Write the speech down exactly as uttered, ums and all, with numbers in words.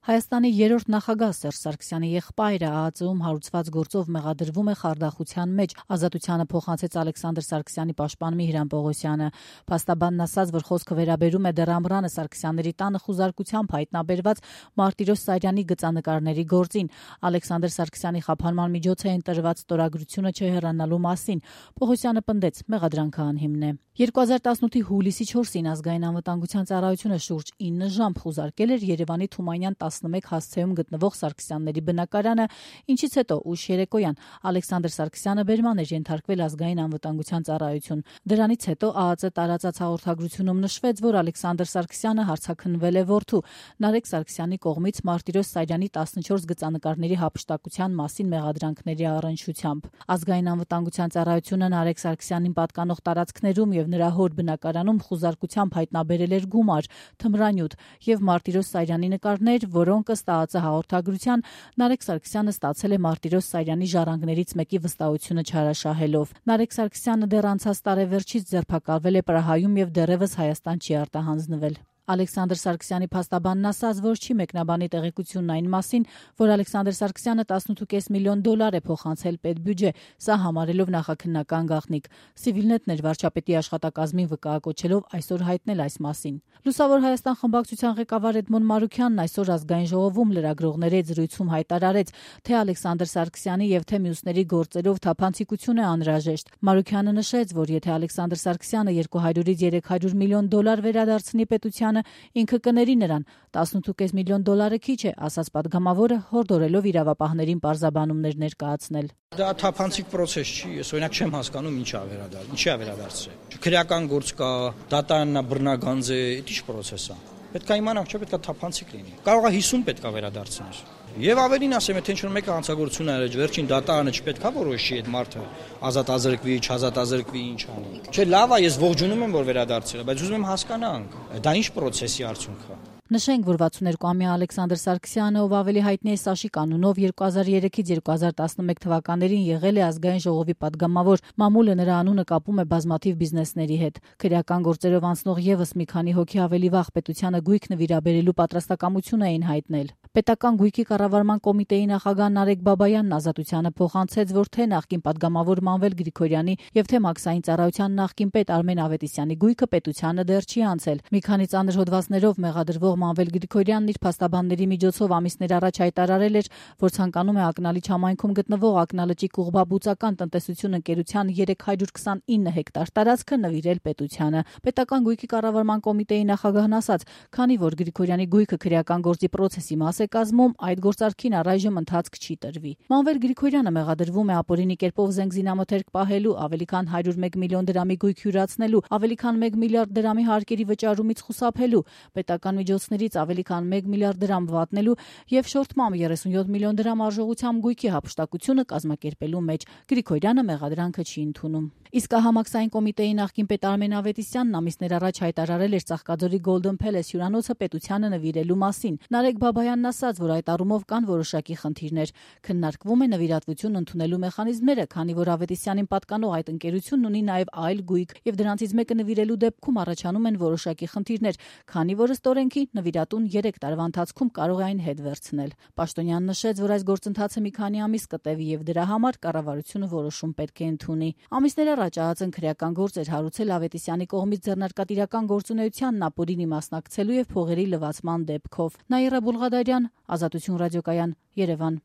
Հայաստանի երրորդ նախագահ Սերժ Սարգսյանի եղբայրը ԱԱԾ-ում հարուցված գործով մեղադրվում է խարդախության մեջ, Ազատությանը փոխանցեց Ալեքսանդր Սարգսյանի պաշտպան Միհրան Պողոսյանը։ Փաստաբանն ասաց, որ խոսքը վերաբերում է դեռ Ամռանը Սարգսյանների տանը խուզարկությամբ հայտնաբերված Մարտիրոս Սարյանի գծանկարների գործին։ Ալեքսանդր Սարգսյանի խափանման միջոց է ընտրված ստորագրությունը չհեռանալու մասին։ Պողոսյանը պնդեց, մեղադրանքը անհիմն է։ երկու հազար տասնութի հուլիսի չորսին ազգային անվտանգության ծառայությունը շուրջ ինը ժամ խուզարկել էր Երևանի Թումանյան տասնմեկ հասցեում գտնվող Սարգսյանների բնակարանը, ինչից հետո ուշ երեկոյան Ալեքսանդր Սարգսյանը բերման էր ենթարկվել ազգային անվտանգության ծառայություն։ Դրանից հետո ԱԱԾ տարածած հաղորդագրությունում նշվեց, որ Ալեքսանդր Սարգսյանը հարցաքննվել է որդու Նարեկ Սարգսյանի կողմից Մարտիրոս Սարյանի տասնչորս գծանկարների հափշտակության մասին մեղադրանքների առնչությամբ։ Ազգային անվտանգության ծառայությունը Նարեկ Սարգսյանին պատկանող տարածքներում եւ նրա հոր բնակարանում խուզարկությամբ հայտնաբերել էր գումար, թմրանյութ եւ Մարտիրոս Սարյանի նկարներ, որոնք ըստ ԱԱԾ հաղորդագրության Նարեկ Սարգսյանը ստացել է Մարտիրոս Սարյանի ժառանգներից մեկի վստահությունը չարաշահելով։ Նարեկ Սարգսյանը դեռ անցած տարեվերջից ձերբակալվել է Պրահայում եւ դեռևս Հայաստան չի արտահանձնվել։ Ալեքսանդր Սարգսյանի փաստաբանն ասաց, որ չի մեկնաբանի տեղեկությունն այն մասին, որ Ալեքսանդր Սարգսյանը տասնութ կես միլիոն դոլար է փոխանցել պետբյուջե, սա համարելով նախաքննական գաղտնիք։ Civilnet-ն էր վարչապետի աշխատակազմին վկայակոչելով այսօր հայտնել այս մասին։ Լուսավոր Հայաստան խմբակցության ղեկավար Էդմոն Մարուքյանն այսօր ազգային ժողովում լրագրողների հետ զրույցում հայտարարեց, թե Ալեքսանդր Սարգսյանի եւ թե մյուսների գործերով թափանցիկություն է անհրաժեշտ։ Մարուքյանը նշեց, որ եթե Ալեքսանդր Սարգսյանը երկու հարյուրից երեք հարյուր միլիոն դոլար վերադարձնի պետության, ինքը կների նրան։ տասնութ կես միլիոն դոլարը քիչ է, ասաց պատգամավորը, հորդորելով իրավապահներին պարզաբանումներ ներկայացնել։ Դա թափանցիկ process չի, ես օրինակ չեմ հասկանում ինչա վերադարձ, ինչի է վերադարձել։ Քրեական գործ կա, դատարանն է, բռնագանձ է, դա ի՞նչ process է։ Պետք է իմանանք, չէ՞ պետք է թափանցիկ լինի։ Կարող է հիսուն պետք է վերադարձնել։ Եվ ավելին ասեմ, եթե ինչ-որ մեկը հանցագործություն արել, վերջին դատարանը չպետք է որոշի այդ մարդը ազատ ազրկվի, չազատ ազրկվի, ինչ անի։ Չէ, լավ է, ես ողջունում եմ, որ վերադարձել է, բայց ուզում եմ հասկանանք, դա ինչ process-ի արդյունք է։ Նշենք, որ վաթսունհինգամյա Ալեքսանդր Սարգսյանը, ով ավելի հայտնի է Սաշիկ անունով, երկու հազար երեքից երկու հազար տասնմեկ թվականներին եղել է ազգային ժողովի պատգամավոր, մամուլը նրա անունը կապում է բազմաթիվ բիզնեսների հետ։ Քրեական գործերով անցնող եւս մի քանի հոգի ավելի վաղ պետությանը գույք նվիրաբերելու պատրաստակամություն էին հայտնել։ Պետական գույքի կառավարման կոմիտեի նախագահ Նարեկ Բաբայանն Ազատությանը փոխանցեց, որ թե նախկին պատգամավոր Մանվել Գրիգորյանի եւ թե մաքսային ծառայության նախկին պետ Արմեն Ավետիսյանի գույքը պետությանը դեռ չի անցել։ Մի քանի ծանր հոդվածներով մեղադրվող Մանվել Գրիգորյանն իր փաստաբանների միջոցով ամիսներ առաջ հայտարարել էր, որ ցանկանում է Ակնալիչ համայնքում գտնվող Ակնալճի Կուղբաբուծական տնտեսություն ընկերության երեք հարյուր քսանինը հեկտար տարածքը նվիրել պետությանը։ Պետական գույքի կառավարման կոմիտեի նախագահն ասաց, քանի որ Գրիգորյանի գույքը քրեական գործի process-ի մաս է կազմում, այդ գործարքին առայժմ ընթացք չի տրվի։ Մանվել Գրիգորյանը մեղադրվում է ապօրինի կերպով զենք զինամթերք պահելու, ավելի քան հարյուր մեկ միլիոն դրամի գույք հյուրացնելու, ավելի քան մեկ միլիարդ դրամի հարկերի վճարումից խուսափելու, պետական միջոցներից ավելի քան մեկ միլիարդ դրամ վատնելու եւ շորթմամբ երեսունյոթ միլիոն դրամ արժողությամբ գույքի հափշտակությունը կազմակերպելու մեջ։ Գրիգորյանը մեղադրանքը չի ընդունում։ Իսկ համակսային կոմիտեի նախկին պետ Արմեն Ավետիսյանն ամիսներ առաջ հայտարարել էր Ծաղկաձորի Golden Palace հյուրանոցը պետությանը նվիրելու մասին։ Նարեկ Բաբայանն ասաց, որ այդ առումով կան որոշակի խնդիրներ։ Քննարկվում է նվիրատվություն ընդունելու մեխանիզմները, քանի որ Ավետիսյանին պատկանող այդ ընկերությունն ունի նաև այլ գույք, եւ դրանցից մեկը նվիրելու դեպքում առաջանում են որոշակի խնդիրներ, քանի որ ըստ օրենքի նվիրատուն երեք տարվա ընթացքում կարող է այն հետ վերցնել։ Պաշտոնյանն նշեց, որ այս գործընթացը մի քանի ամիս կտևի եւ դրա համար կառավարությունը որոշում պետք է ընդունի։ Ամիսներ առաջ ԱԱԾ-ն քրեական գործ էր հարուցել Ավետիսյանի կողմից ձեռնարկատիրական գործունեությանն ապօրինի մասնակցելու եւ փողերի լվացման դեպքով։ Նաիրա Բուլղադարյան, Ազատություն ռադիոկայան, Երևան։